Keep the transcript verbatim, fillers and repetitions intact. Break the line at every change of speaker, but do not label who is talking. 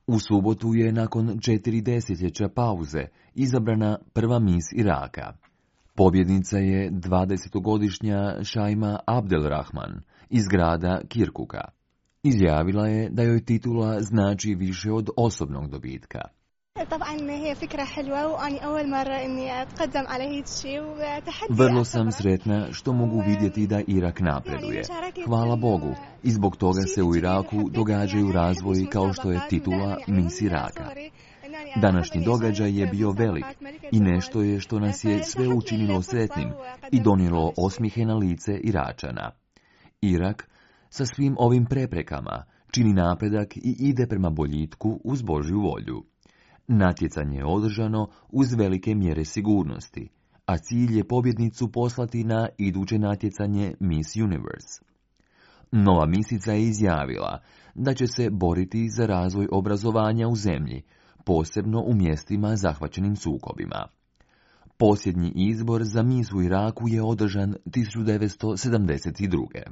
U subotu je nakon četiri desetljeća pauze izabrana prva mis Iraka. Pobjednica je dvadesetogodišnja Šajma Abdelrahman iz grada Kirkuka. Izjavila je da joj titula znači više od osobnog dobitka. Vrlo sam sretna što mogu vidjeti da Irak napreduje. Hvala Bogu, i zbog toga se u Iraku događaju razvoji kao što je titula Mis Iraka. Današnji događaj je bio velik i nešto je što nas je sve učinilo sretnim i donijelo osmijehe na lice Iračana. Irak, sa svim ovim preprekama, čini napredak i ide prema boljitku uz Božju volju. Natjecanje je održano uz velike mjere sigurnosti, a cilj je pobjednicu poslati na iduće natjecanje Miss Universe. Nova misica je izjavila da će se boriti za razvoj obrazovanja u zemlji, posebno u mjestima zahvaćenim sukobima. Posljednji izbor za mis u Iraku je održan tisuću devetsto sedamdeset druge.